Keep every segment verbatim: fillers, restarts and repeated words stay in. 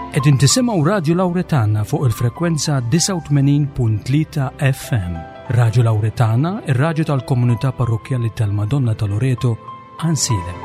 Qegħdin tisimgħu Radio Lauretana fuq il-frekwenza disgħa u tmenin punt tlieta F M. Radio Lauretana, ir-radju tal-Komunità Parrokkjali tal-Madonna ta' Loreto, Għajnsielem.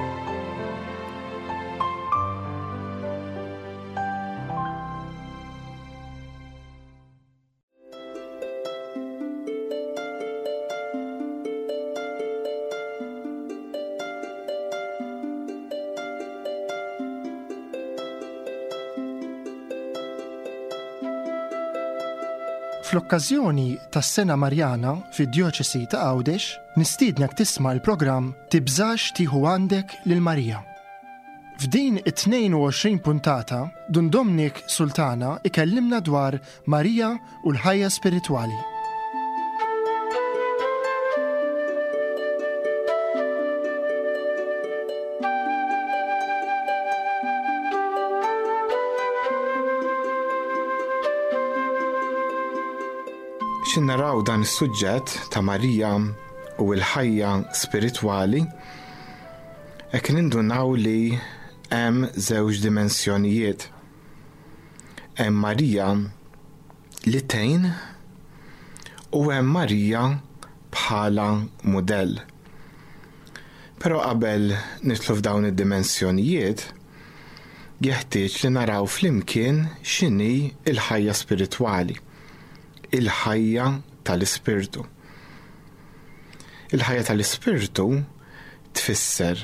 Fl-okkażjoni tas-Sena Marjana fid-Djoċesi ta' Għawdex, nistiednek tisma' l-programm Tibżax tieħu għandek lil Marija. F'din it-tnejn u għoxrin puntata, Dun Dominic Sultana ikellimna dwar Marija u l-ħajja spiritwali. X'ħin naraw dan is-suġġett ta' Marija u l-ħajja spiritwali, hekk nindunaw li hemm żewġ dimensjonijiet. Hemm Marija li tgħin u hemm Marija bħala mudell. Però qabel nidħlu f'dawn id-dimensjonijiet, jeħtieġ li naraw flimkien x'inhi l-ħajja spiritwali, il-ħajja tal-ispirtu. Il-ħajja tal-ispirtu tfisser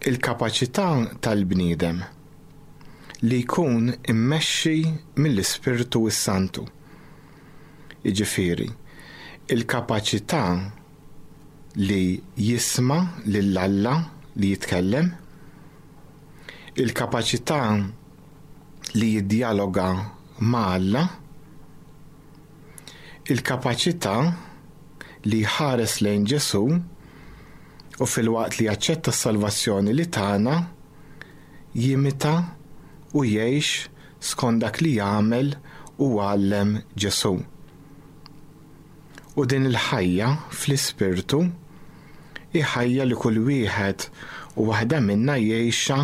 il-kapaċità tal-bniedem li jkun immexxi mill-Ispirtu s-Santu. Jiġifieri, il-kapaċità li jisma' lil Alla li jitkellem, il-kapaċità li jiddjaloga ma' Alla, il-kapaċità li jħares lejn Ġesù u filwaqt li jaċċetta s-salvazzjoni li tana, jimita u jgħix skont dak li jagħmel u għallem Ġesù. U din il-ħajja fl-ispirtu hi ħajja li kull wieħed u waħda minna jgħixha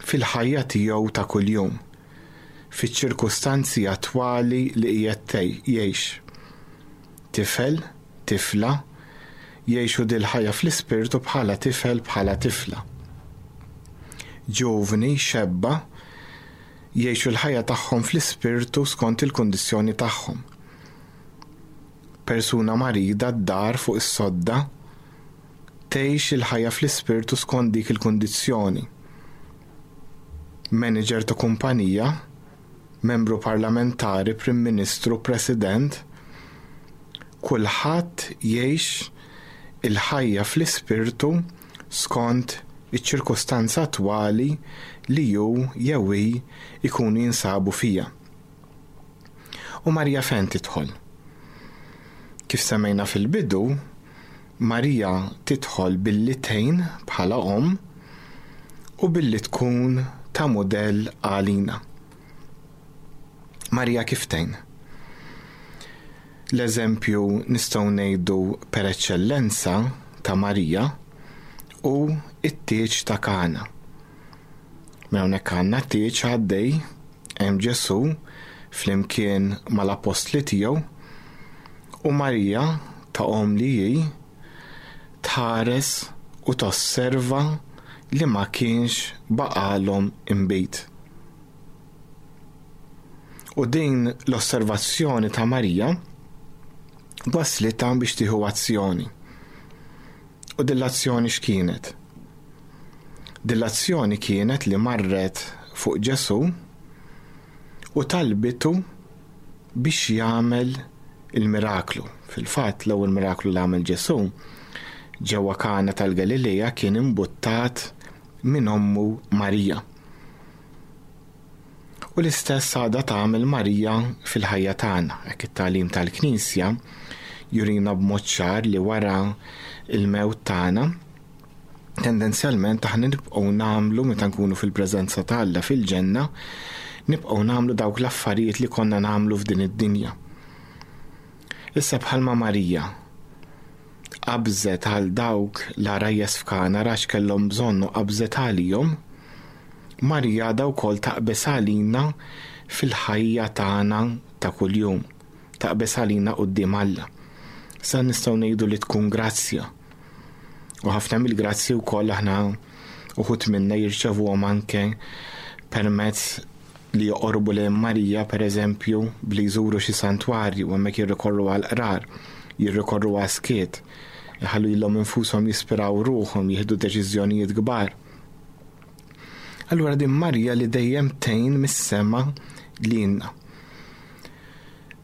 fil-ħajja tiegħu ta' kuljum, fiċ-ċirkustanzi attwali li qiegħed jgħix. Tifel, tifla, jgħixu dil-ħajja fl-ispirtu bħala tifel, bħala tifla. Ġuvni, xebba, jgħixu l-ħajja tagħhom fl-ispirtu skont il-kundizzjoni tagħhom. Persuna marida d-dar fuq is-sodda tgħix il-ħajja fl-ispirtu skont dik il-kundizzjoni. Manager ta' kumpanija, membru parlamentari, prim ministru, president, kulħadd jgħix il-ħajja fl-ispirtu skont iċ-ċirkustanza attwali li hu jew hi ikunu jinsabu fija. U Marija fejn tidħol? Kif semmejna fil-bidu, Marija tidħol billi tgħin bħala omm u billi tkun ta' mudell għalina. Marija kif tgħin? L-eżempju nistgħu ngħidu per eċċellenza ta' Marija hu it-tieġ ta' Kana. Mela hawnhekk għandna tieġ għaddej, hemm Ġesù flimkien mal-apostli tiegħu u Marija ta' omm li hi tħares u tosserva li ma kienx baqalhom inbid. U din l-osservazzjoni ta' Marija waslitha biex tieħu azzjoni. U din l-azzjoni x'kienet? Din l-azzjoni kienet li marret fuq Ġesù u talbitu biex jagħmel il-miraklu. Fil-fatt l-ewwel miraklu li għamel Ġesù ġewwa Kana tal-Galilea kien imbuttat minn ommu Marija. U l-istess għadha tagħmel Marija fil-ħajja tagħna. Hekk it-tagħlim tal-Knisja jurina b'mod ċar li wara il-mewt tagħna tendenzjalment aħna nibqgħu nagħmlu, meta nkunu fil-preżenza ta' Alla fil-ġenna, nibqgħu nagħmlu dawk l-affarijiet li konna nagħmlu f'din id-dinja. Issa bħalma Marija qabżet għal dawk l-għarajjes f'Kana għax kellhom bżonn u qabżet għalihom, Marija għadha wkoll taqbeż għalina fil-ħajja tagħna ta' kuljum, taqbeż għalina quddiem Alla. Sa nistgħu ngħidu li tkun grazzja. U ħafna mill-grazzji wkoll aħna uħud minna jirċevuhom anke permezz li joqorbu lejn Marija, pereżempju, bli jżuru xi santwarju u hemmhekk jirrikorru għal qrar, jirrikorru għal skiet, iħallu lilhom infushom jispiraw ruħhom, jieħdu deċiżjonijiet kbar. Allura din Marija li dejjem tgħin mis-sema lilna.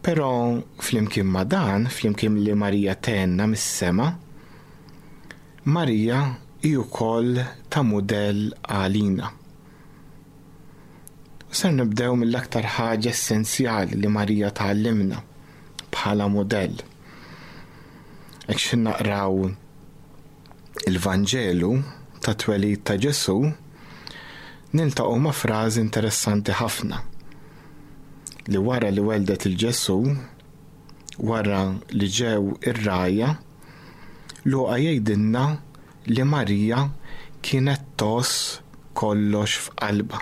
Però flimkien ma' dan, flimkien li Marija tgħinna mis-sema, Marija hi wkoll ta' mudell għalina. Ser nibdew mill-aktar ħaġa essenzjali li Marija tgħallimna bħala mudell. Hekk xi naqraw il-Vanġelu ta' twelid ta' Ġesù, niltaqgħu ma' frażi interessanti ħafna li wara li weldet il-Ġesù, wara li ġew ir-rgħajja, Luqa jgħidilna li Marija kienet tgħożż kollox f'qalbha.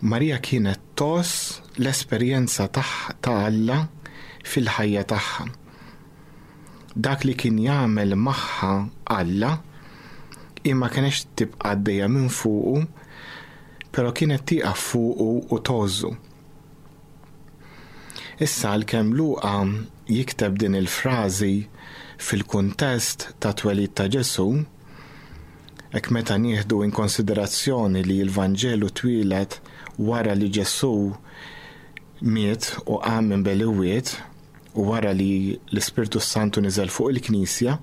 Marija kienet tgħożż l-esperjenza ta' Alla fil-ħajja tagħha. Dak li kien jagħmel magħha Alla, imma kienx tibqa' għaddejja minn fuqu, però kienet tieqaf fuqu u tgħożżu. Issa għalkemm Luqa jikteb din il-frażi fil-kuntest ta' twelid ta' Ġesù, hekk meta nieħdu in konsiderazzjoni li l-Vanġelu twieled wara li Ġesù miet u qam minn bejn l-imwiet u wara li l-Ispirtu Santu niżel fuq il-Knisja,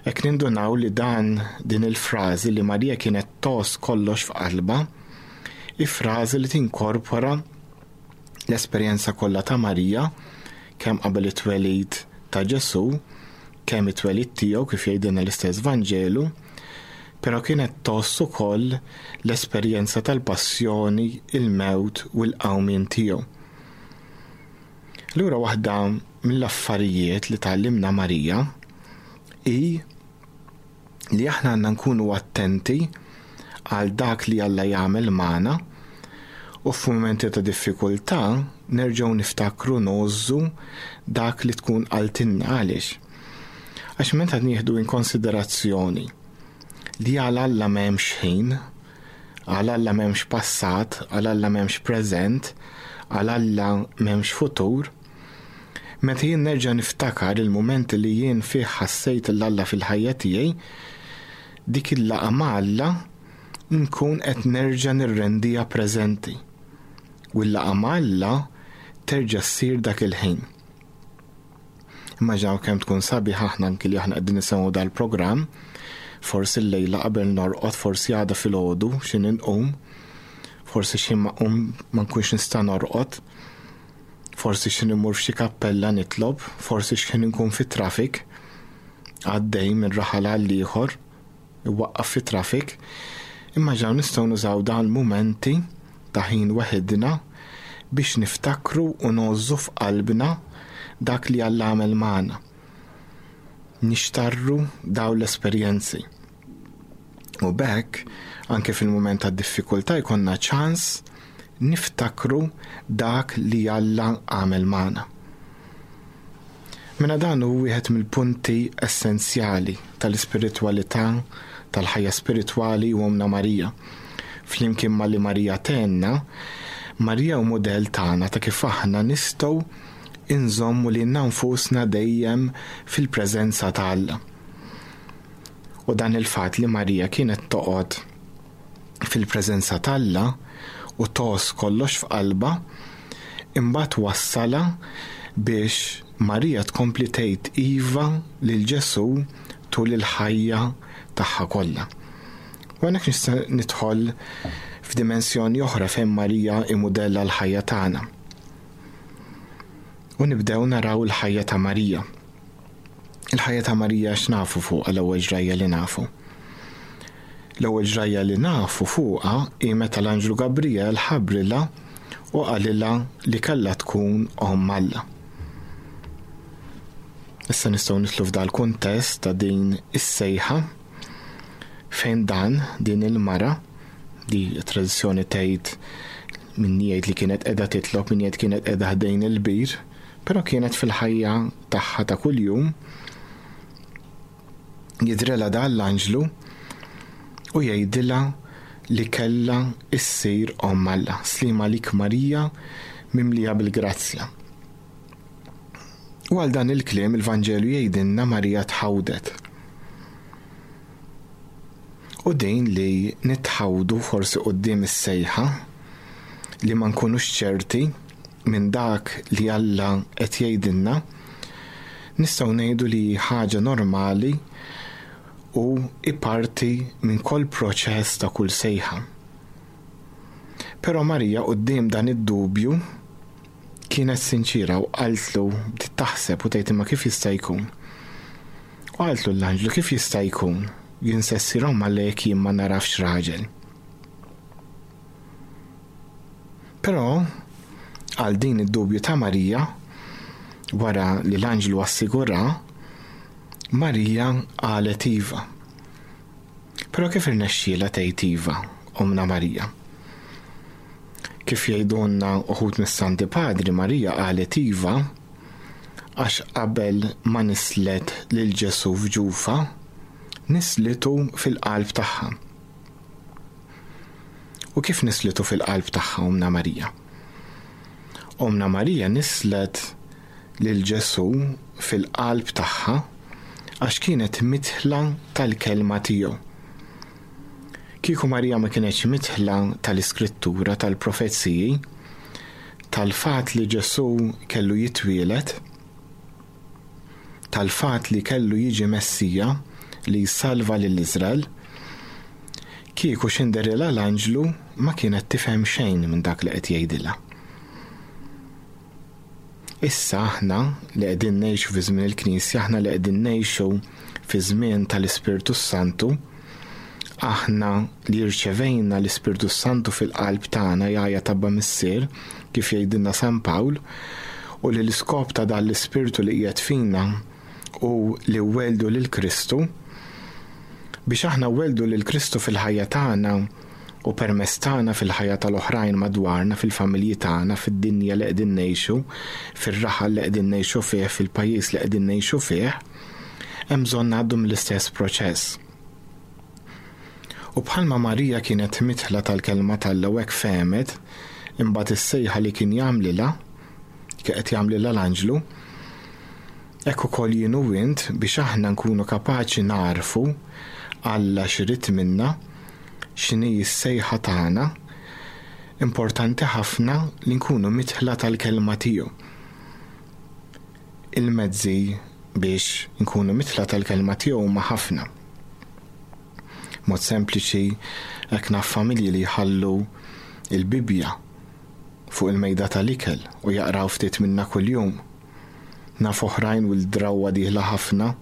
hekk nindunaw li dan din il-frażi li Marija kienet tgħożż kollox f'qalbha, hi frażi li tinkorpora l-esperjenza kollha ta' Marija kemm qabel it-twelid ta' Ġesù, kemm it-twelid tiegħu kif jgħidilna l-istess Vanġelu, però kienet tgħożż ukoll l-esperjenza tal-passjoni, il-mewt u l-qawmien tiegħu. Allura waħda mill-affarijiet li tgħallimna Marija hi li aħna għandna nkunu attenti għal dak li Alla jagħmel magħna u f'mumenti ta' diffikultà nerġgħu niftakru ngħożżu dak li tkun qaltilna. Għaliex? Għax meta nieħdu in konsiderazzjoni li għal Alla m'hemmx ħin, għal Alla m'hemmx passat, għal Alla m'hemmx preżent, għal Alla m'hemmx futur, meta jien nerġa' niftakar il-mumenti li jien fih ħassejt 'l Alla fil-ħajja tiegħi, dik il-laqgħa ma' Alla nkun qed nerġa' nirrendiha preżenti. U l-laqgħa ma' Alla terġa' ssir dak il-ħin. Immaġinaw kemm tkun sabiħ aħna anki li aħna qegħdin nisimgħu dal-programm, forsi l-lejla qabel norqod, forsi għada filgħodu xi nqum, forsi xi ma qum ma nkunx nista' norqod, forsi xi nimur f'xi kappella nitlob, forsi xi nkun fit-traffic għaddej minn raħal għal ieħor, iwaqqaf fit-traffic. Immaġinaw nistgħu nużaw dawn il-mumenti ta' ħin weħidna biex niftakru u ngħożżu f'qalbna dak li Alla għamel magħna. Nixtarru dawn l-esperjenzi. U b'hekk, anke fil-mument ta' diffikultà jkollna ċans niftakru dak li Alla għamel magħna. Mela dan hu wieħed mill-punti essenzjali tal-ispiritwalità, tal-ħajja spiritwali u Ommna Marija. Flimkien ma' li Marija tgħinna, Marija hu mudell tagħna ta' kif aħna nistgħu inżommu lilna nfusna dejjem fil-preżenza ta' Alla. U dan il-fatt li Marija kienet toqgħod fil-preżenza ta' Alla u tgħożż kollox f'qalbha, imbagħad wassala biex Marija tkompli tgħid iva lil Ġesù tul il-ħajja tagħha kollha. U hawnhekk nista' nidħol f'dimensjoni oħra fejn Marija hi mudell għall-ħajja tagħna. U nibdew naraw il-ħajja ta' Marija. Il-ħajja ta' Marija x'nafu fuqha l-ewwel ġrajja li nafu? L-ewwel ġrajja li nafu fuqha hi meta l-Anġlu Gabriel ħabbrilha u qalilha li kellha tkun omm Alla. Issa nistgħu nidħlu f'dal kuntest ta' din is-sejħa fejn dan din il-mara Di tradizzjoni tgħid min jgħid li kienet qiegħda titlob, min jgħid kienet qiegħda ħdejn il-bir, però kienet fil-ħajja tagħha ta' kuljum. Jidhrilha dan l-anġlu u jgħidilha li kellha issir omm Alla. Sliem għalik Marija, mimlija bil-grazzja. U għal dan il-kliem il-Vanġelu jgħidilna Marija tħawdet. U din li nitħawdu forsi quddiem is-sejħa, li ma nkunux ċerti minn dak li Alla qed jgħidilna, nistgħu ngħidu li ħaġa normali u parti minn kull proċess ta' kull sejħa. Però Marija quddiem dan id-dubju kienet sinċira u qaltlu, bdiet taħseb u tgħid imma kif jista' jkun. U qaltlu l-anġlu kif jista' jkun jien se ssir omm Alla jekk jien ma narafx raġel. Però għal din id-dubju ta' Marija, wara li l-anġlu assigura, Marija qalet iva. Però kif irnexxielha tgħid iva, Ommna Marija? Kif jgħidulna uħud mis-Santi Padri, Marija qalet iva għax qabel ma nislet lil Ġesù f'ġufa, nislitu fil-qalb tagħha. U kif nislitu fil-qalb tagħha Ommna Marija? Ommna Marija nislet lil Ġesù fil-qalb tagħha għax kienet mitħla tal-kelma tiegħu. Kieku Marija ma kienetx mitħla tal-Iskrittura, tal-profeziji, tal-fatt li Ġesù kellu jitwielet, tal-fatt li kellu jiġi Messija li jsalva lil Iżrael, kieku x'inderilha l-anġlu ma kienet tifhem xejn minn dak li qed jgħidilha. Issa aħna li qegħdin ngħixu fi żmien il-Knisja, aħna li qegħdin ngħixu fi żmien tal-Ispirtu Santu, aħna li rċevejna l-Ispirtu Santu fil-qalb tagħna jgħajjat Abba Missier, kif jgħidilna San Pawl, u li l-iskop ta' dan l-Ispirtu li qiegħed fina u li weldu lil Kristu, biex aħna weldu lil Kristu fil-ħajja tagħna u permezz tagħna fil-ħajja tal-oħrajn madwarna, fil-familji tagħna, fid-dinja li qegħdin ngħixu, fir-raħal li qegħdin ngħixu fih, fil-pajjiż li qegħdin ngħixu fih, hemm bżonn ngħaddu mill-istess proċess. U bħalma Marija kienet mitħla tal-kelma t'Alla u hekk fehmet, imbagħad is-sejħa li kien jagħmlilha, kien qed jagħmlilha l-anġlu, hekk ukoll jien u int biex aħna nkunu kapaċi narfu Alla x'irid minna, x'inhi s-sejħa tagħna, importanti ħafna li nkunu mitħla tal-kelma tiegħu. Il-mezzi biex nkunu mitħla tal-kelma tiegħu huma ħafna. Mod sempliċi, hekk naf familji li jħallu il-Bibbja fuq il-mejda tal-ikel u jaqraw ftit minna kuljum. Naf oħrajn u l-drawwa dieħla ħafna,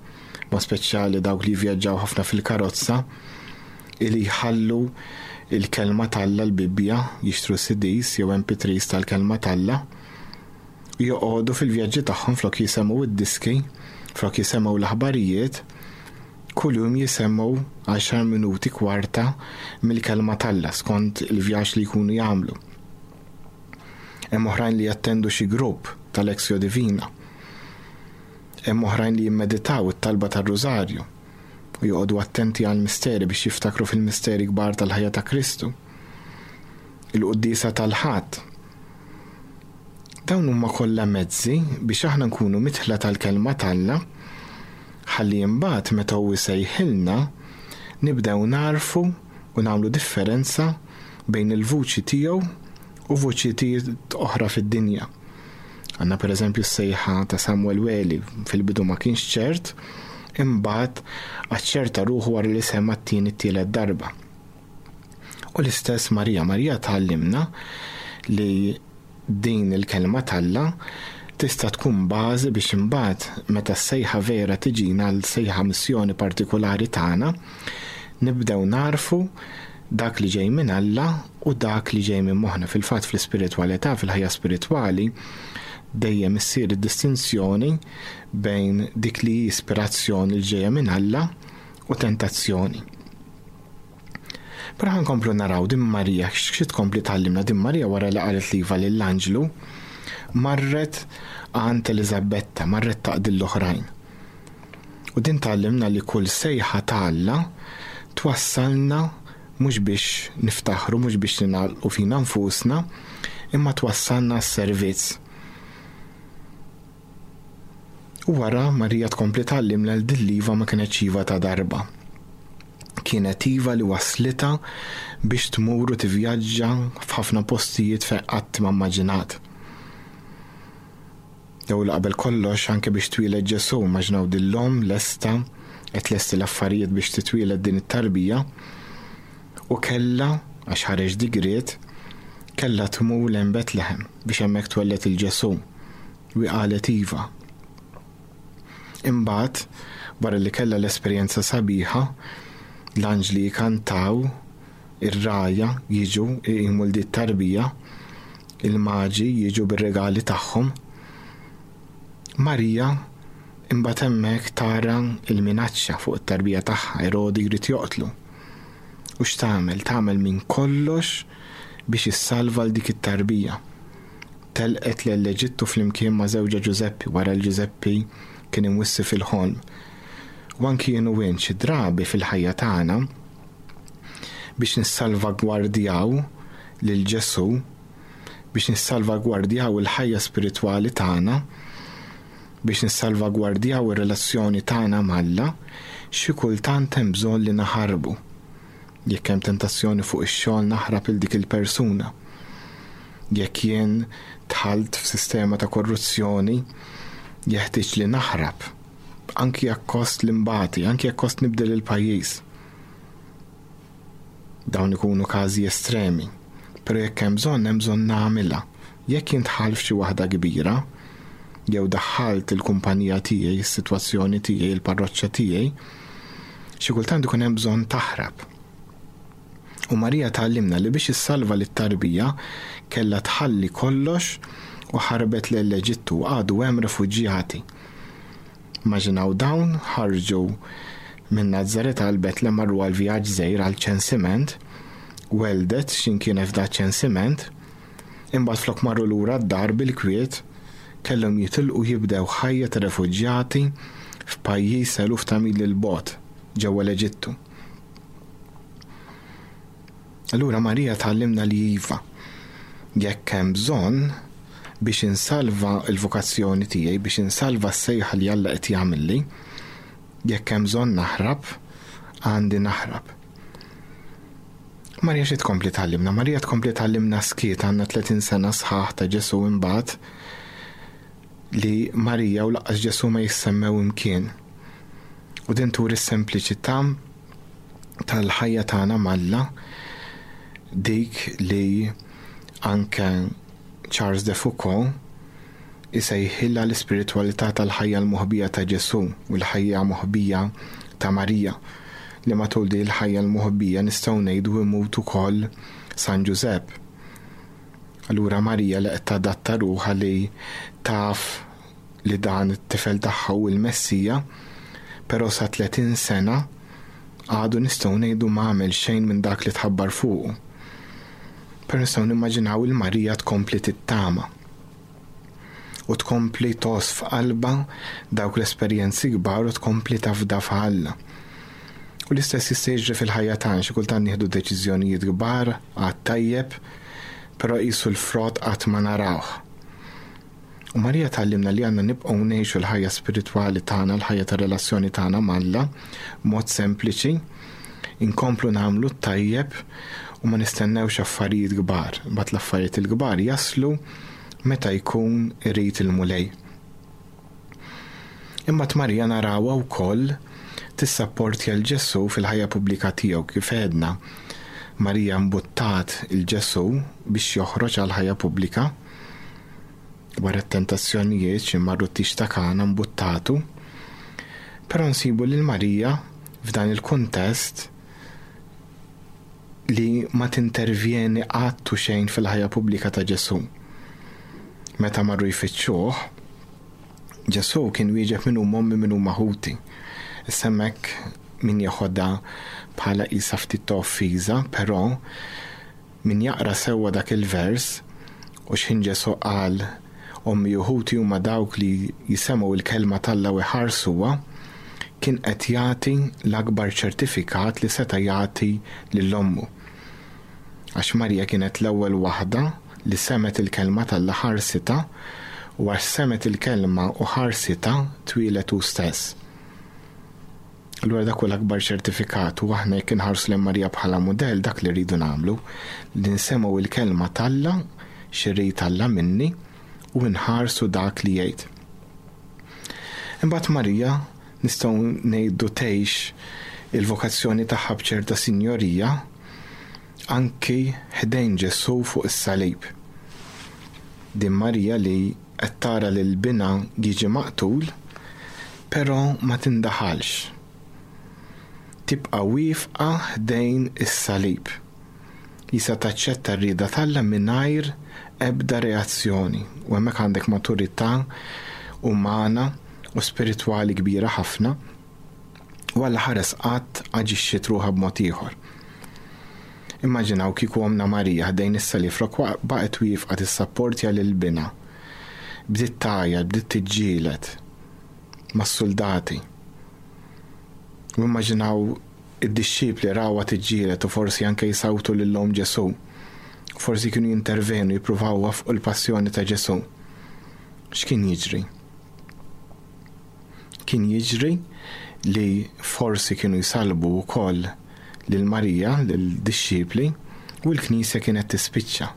ma speċjali dawk li vjaġġaw ħafna fil-karozza, ili jħallu il-kelma t'Alla, l-Bibbja, jixtru C Ds jew M P threes tal-kelma t'Alla, joqogħdu fil-vjaġġi tagħhom flok jisemgħu id-diski, flok jisemgħu l-aħbarijiet, kuljum jisemgħu għaxar minuti kwarta mill-kelma t'Alla skont il-vjaġġ li jkunu jagħmlu. Hemm oħrajn li jattendu xi grupp tal-Lectio Divina. Hemm oħrajn li jimmeditaw it-talba tar-Rużarju u joqogħdu attenti għall-misteri biex jiftakru fil-misteri kbar tal-ħajja ta' Kristu. Il-quddiesa tal-Ħadd. Dawn huma kollha mezzi biex aħna nkunu mitħla tal-kelma t'Alla, ħalli imbagħad meta hu jsejħilna nibdew narfu u nagħmlu differenza bejn il-vuċi tiegħu u vuċijiet oħra fid-dinja. Għandna pereżempju s-sejħa ta' Samuel Weli, fil-bidu ma kienx ċert, imbagħad aċċerta ruħu wara li sema t-tieni t-tielet darba. U l-istess Marija, Marija tgħallimna li din il-kelma t'Alla tista' tkun bażi biex imbagħad meta s-sejħa vera tiġina għal sejħa missjoni partikolari tagħna, nibdew narfu dak li ġej minn Alla u dak li ġej minn moħħna. Fil-fatt fl-ispiritwalità, fil-ħajja spiritwali, dejjem issir id-distinzjoni bejn dik li hi ispirazzjoni li ġejja minn Alla u tentazzjoni. Però ħa nkomplu naraw din Marija, xi tkompli tgħallimna din Marija wara li qalet l-iva lill-anġlu, marret għand Eliżabetta, marret taqdi l-oħrajn. U din tgħallimna li kull sejħa ta' Alla twassalna mhux biex niftaħru, mhux biex ningħalqu fina nfusna, imma twassalna s-servizz. U wara Marija tkompli tgħallimna li din l-iva ma kienetx iva ta' darba. Kienet iva li waslitha biex tmur u tivvjaġġa f'ħafna postijiet fejn qatt ma immaġinat. Jew qabel kollox anke biex twieled Ġesù, immaġinaw din l-omm lesta qed lesti l-affarijiet biex titwieled din it-tarbija u kellha, għax ħareġ digriet, kellha tmur lejn Betlehem biex hemmhekk twelled il-Ġesù. U qalet iva. Imbagħad, wara li kellha l-esperjenza sabiħa, l-anġli jkantaw, ir-rgħajja jiġu jqimu l tarbija, il-maġi jiġu bir-regali tagħhom. Marija imbagħad hemmhekk tara l-minaċċa fuq it-tarbija tagħha, Erodi jrid joqtlu. U x'tagħmel? Tagħmel minn kollox biex issalva l dik it-tarbija. Telqet lejn l-Eġittu flimkien ma' żewġha Ġużeppi wara l Ġużeppi kien imwissi fil-ħolm. U anki jien u int xi drabi fil-ħajja tagħna biex nissalvagwardjaw lil Ġesù, biex nissalvagwardjaw il-ħajja spiritwali tagħna, biex nissalvagwardjaw ir-relazzjoni tagħna m'Alla, xi kultant hemm bżonn li naħarbu. Jekk hemm tentazzjoni fuq ix-xogħol naħrab il dik il-persuna. Jekk jien dħalt f'sistema ta' korruzzjoni, jeħtieġ li naħrab, anki jekk kost l-imbati, anki jekk kost nibdel il-pajjiż. Dawn ikunu każi estremi, però jekk hemm bżonn, hemm bżonn nagħmilha. Jekk jien dħalt f'xi waħda kbira, jew daħħalt il-kumpanija tiegħi, is-sitwazzjoni tiegħi, il-parroċċa tiegħi, xi kultant ikun hemm bżonn taħrab. U Marija tgħallimna li biex issalva lit-tarbija kellha tħalli kollox u ħarbet lejn l-Eġittu, għadu hemm refuġjati. Immaġinaw dawn ħarġu minn Nazaret għal Betlem, marru għal vjaġġ żgħir għal ċensiment, weldet x'imkien f'da ċensiment, imbagħad flok marru lura d-dar bil-kwiet, kellhom jitilqu jibdew ħajja ta' refuġjati f'pajjiż eluf ta' mili 'l bogħod ġewwa l-Eġittu. Allura Marija tgħallimna li iva, jekk hemm bżonn biex insalva l-vokazzjoni tiegħi, biex insalva s-sejħa li Alla qed jagħmilli, jekk hemm bżonn naħrab, għandi naħrab. Marija xi tkompli tgħallimna? Marija tkompli tgħallimna skiet, għandna tletin sena sħaħ ta' Ġesù imbagħad li Marija u lanqas Ġesù ma jissemmew imkien. U din turi s-sempliċità tal-ħajja tagħna m'Alla, dik li anke Charles de Foucauld isejħilha l-ispiritwalità tal-ħajja l-moħbija ta' Ġesù u l-ħajja moħbija ta' Marija, li matul din il-ħajja l-moħbija nistgħu ngħidu imut ukoll San Ġużepp. Allura Marija li qed tadatta ruħha li taf li dan it-tifel tagħha hu l-Messija, però sa tletin sena għadu nistgħu ngħidu ma għamel xejn minn dak li tħabbar fuqu. Però nistgħu nimmaġinaw il-Marija tkompli tittama u tkompli tgħożż f'qalbha dawk l-esperjenzi kbar u tkompli tafda f'Alla. U l-istess jista' jiġri fil-ħajja tagħna, xi kultant nieħdu deċiżjonijiet kbar għad tajjeb, però qisu l-frott qatt ma narawh. U Marija tgħallimna li għandna nibqgħu ngħixu l-ħajja spiritwali tagħna, l-ħajja tar-relazzjoni tagħna m'Alla b'mod sempliċi, inkomplu nagħmlu t-tajjeb u ma nistennewx affarijiet kbar. Imbagħad l-affarijiet il-kbar jaslu meta jkun irid il-Mulej. Imma Marija narawha wkoll tissapportja l Ġesù fil-ħajja pubblika tiegħu. Kif għedna, Marija mbuttat il Ġesù biex joħroġ għal ħajja pubblika wara t-tentazzjonijiet xi marru t-tix ta' Kana mbuttatu, però nsibu lil Marija f'dan il-kuntest li ma tintervjeni qatt u xejn fil-ħajja pubblika ta' Ġesù. Meta marru jfittxuh, Ġesù kien wieġeb min huma ommi min huma ħuti. Issa hemmhekk min jeħodha bħala qisha ftit ta' offiża, però min jaqra sewwa dak il-vers u x'ħin Ġesù qal ommi u ħuti huma dawk li jisemgħu il-kelma t'Alla u jħarsuha, kien qed jagħti l-akbar ċertifikat li seta' jagħti lil ommu. Għax Marija kienet l-ewwel waħda li semgħet il-kelma t'Alla, ħarsitha, u għax semgħet il-kelma u ħarsitha twieled hu stess. Allura dak hu l-akbar ċertifikat, u aħna jekk inħarsu lejn Marija bħala mudell, dak li rridu nagħmlu, li nsemgħu il-kelma t'Alla, x'irid Alla minni, u nħarsu dak li jgħid. Imbagħad Marija nistgħu ngħidu tgħix il-vokazzjoni tagħha b'ċerta sinjorija anki ħdejn Ġesù fuq is-salib. Din Marija li qed tara lil binha jiġi maqtul, però ma tindaħalx. Tibqa' wieqfa ħdejn is-salib. Jisa taċċetta r-rieda t'Alla mingħajr ebda reazzjoni. U hemmhekk għandek maturità umana u spiritwali kbira ħafna, u Alla ħares qatt aġixxiet ruħha b'mod ieħor. Immaġinaw kieku omna Marija ħdejn is-salib flok baqgħet wieqfa tissapportja lil binha. Bdiet tgħajjat, bdiet tiġġieled mas-soldati. U immaġinaw id-dixxipli rawha tiġġieled u forsi anke jsawtu lil omm Ġesù. Forsi kienu jintervenu, jippruvaw iwaffqu l-passjoni ta' Ġesù. X'kien jiġri? Kien jiġri li forsi kienu jsalbu wkoll lil Marija, lil dixxipli, u l-Knisja kienet tispiċċa.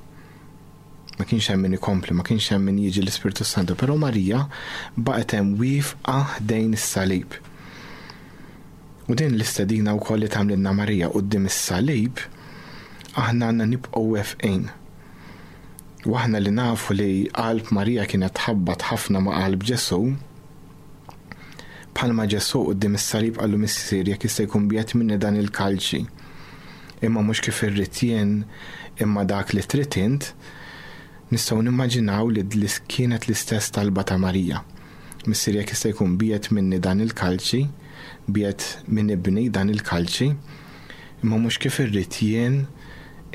Ma kienx hemm min ikompli, ma kienx hemm min jiġi l-Ispirtu Santu, però Marija baqgħet hemm wieqfa ħdejn is-salib. U din l-istedina wkoll li tagħmlilna Marija quddiem is-salib, aħna għandna nibqgħu wefqin. U aħna li nafu li qalb Marija kienet tħabbat ħafna ma' qalb Ġesù, bħalma Ġesù quddiem is-salib qallu Missier jekk jista' jkun biegħed minni dan il-kalċi, imma mhux kif irrid jien, imma dak li trid int, nistgħu nimmaġinaw li kienet l-istess talba ta' Marija. Missier jekk jista' jkun biegħed minni dan il-kalċi, biegħed minn ibni dan il-kalċi, imma mhux kif irrid jien,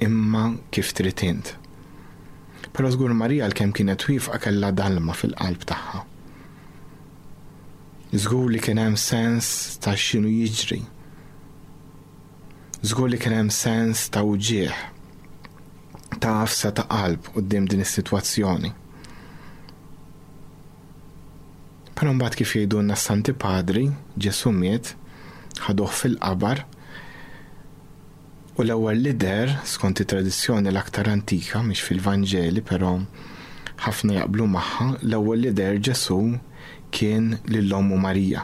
imma kif trid int. Però żgur Marija għalkemm kienet wieqfa kellha dalma fil-qalb tagħha. Żgur li kien hemm sens ta' x'inhu jiġri. Żgur li kien hemm sens ta' uġigħ, ta' għafsa ta' qalb quddiem din is-sitwazzjoni. Però mbagħad kif jgħidulna s-Santi Padri, Ġesù miet, ħaduh fil-qabar, u l-ewwel li deher, skont it-tradizzjoni l-aktar antika, mhix fil-Vanġeli, però ħafna jaqblu magħha, l-ewwel li deher Ġesù kien lil ommu Marija.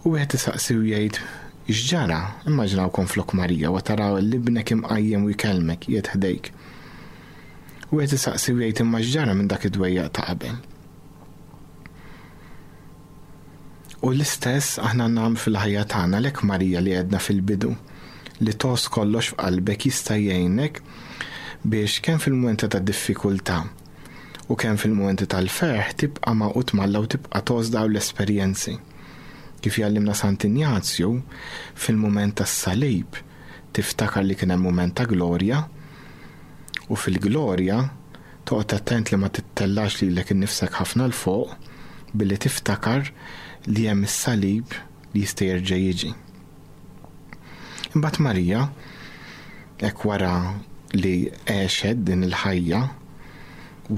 U wieħed isaqsi u jgħid, x'ġara? Immaġinawkom flok Marija wa taraw l-ibnek imqajjem u jkellmek, qiegħed ħdejk. U wieħed isaqsi u jgħid, imma x'ġara minn dak id-dwejjaq ta' qabel? U l-istess aħna nagħmlu fil-ħajja tagħna, lek Marija li għedna fil-bidu, li tos kollox f'qalbek jista' jgħinek biex kemm fil-mumenti ta' diffikultà u kemm fil-mumenti tal-ferħ tibqa' magħqud m'Alla u tibqa' tos dawn l-esperjenzi. Kif jgħallimna Sant'Injazju, fil-mument tas-salib tiftakar li kien hemm mument ta' glorja, u fil-glorja toqgħod attent li ma tittellax lilek innifsek ħafna 'l fuq billi tiftakar li hemm is-salib li jista' jerġa' jiġi. Imbagħad Marija, hekk wara li għexet din il-ħajja,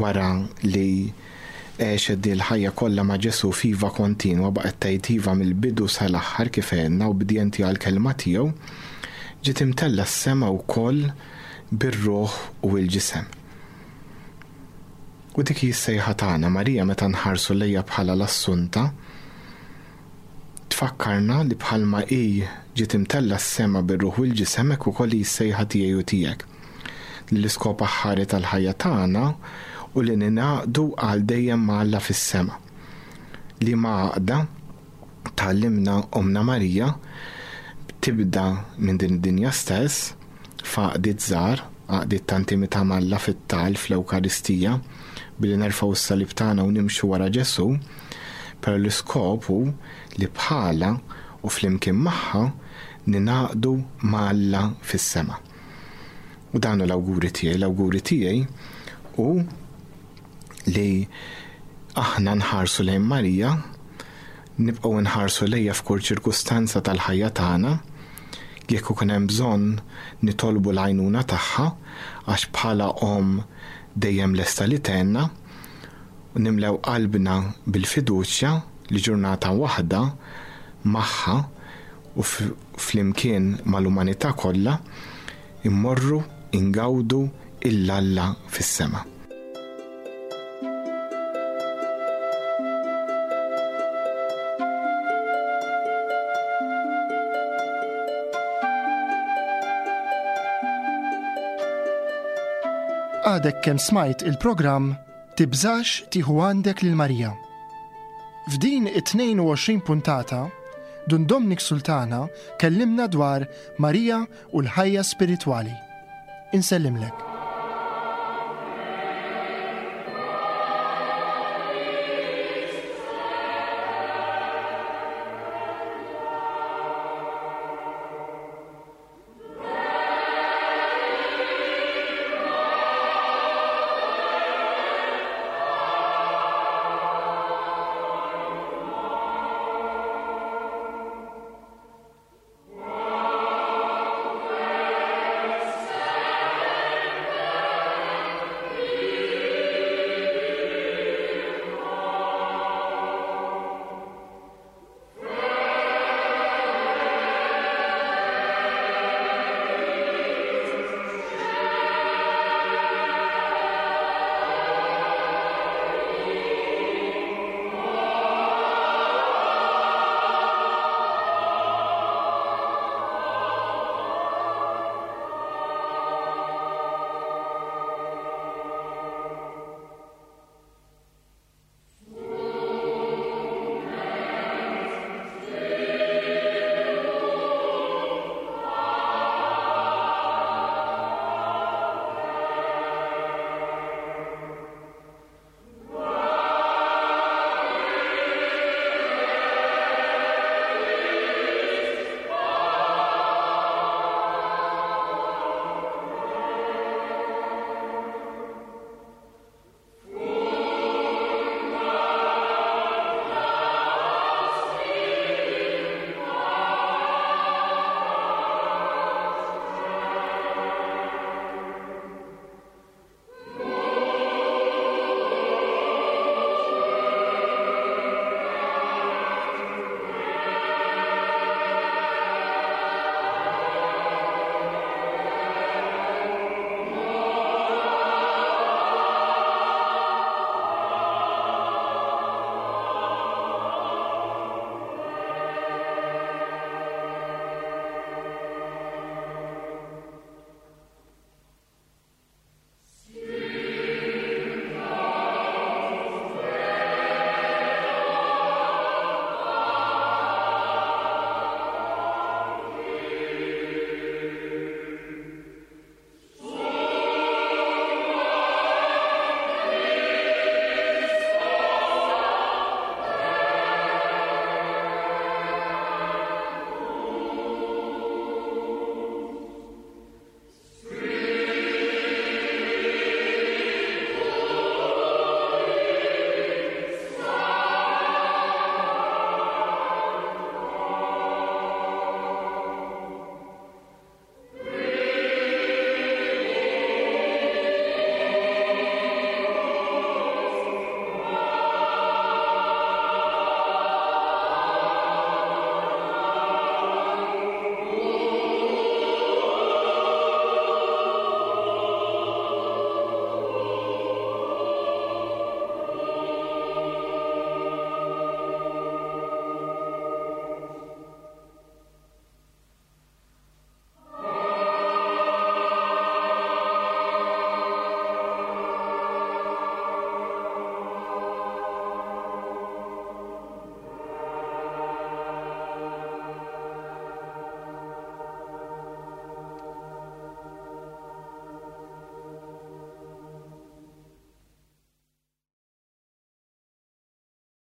wara li għexet din il-ħajja kollha ma' Ġesù f'iva kontinwa, baqgħet tgħid iva mill-bidu sal-aħħar kif għedna, ubbidjenti għall-kelma tiegħu, ġiet imtella s-sema wkoll bir-ruħ u l-ġisem. U dik hi s-sejħa tagħna, Marija meta nħarsu lejha bħala l-Assunta, tfakkarna li bħalma hi ġiet imtella s-sema bir-ruħ u l-ġisem, hekk ukoll hi s-sejħa tiegħi u tiegħek. Li l-iskop aħħari tal-ħajja tagħna u li ningħaqdu għal dejjem ma' Alla fis-sema. Li ma' għaqda tgħallimna Omna Marija tibda minn din id-dinja stess, f'għaqdiet żgħar, għaqdiet ta' intimità ma' Alla fit-tal, fl-Ewkaristija, billi nerfgħu s-salib tagħna u nimxu wara Ġesù, però l-iskop hu li bħala u flimkien magħha ningħaqdu ma' Alla fis-sema. U dan hu l-awguri tiegħi, l-awguri tiegħi hu li aħna nħarsu lejn Marija, nibqgħu nħarsu lejha f'kull ċirkustanza tal-ħajja tagħna, jekk ikun hemm bżonn nitolbu l-għajnuna tagħha għax bħala omm dejjem lesta li tgħinna, u nimlew qalbna bil-fiduċja li ġurnata waħda magħha u flimkien mal-umanità kollha immorru ingawdu 'l Alla fis-sema. Għadek kemm smajt il-programm Tibżax tieħu għandek lil Marija. F'din it-tnejn u għoxrin puntata, Dun Dominic Sultana kellimna dwar Marija u l-ħajja spiritwali. Insellimlek.